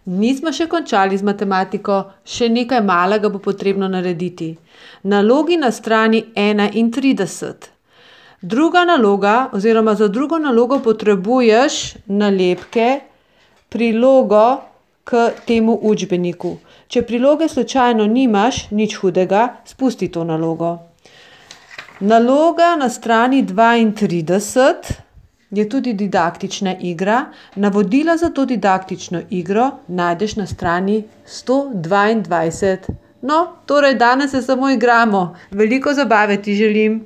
Nismo še končali z matematiko, še nekaj malega bo potrebno narediti. Nalogi na strani 31. Druga naloga oziroma za drugo nalogo potrebuješ nalepke, prilogo k temu učbeniku. Če priloge slučajno nimaš, nič hudega, spusti to nalogo. Naloga na strani 32 je tudi didaktična igra. Navodila za to didaktično igro najdeš na strani 122. No, torej danes se samo igramo. Veliko zabave ti želim.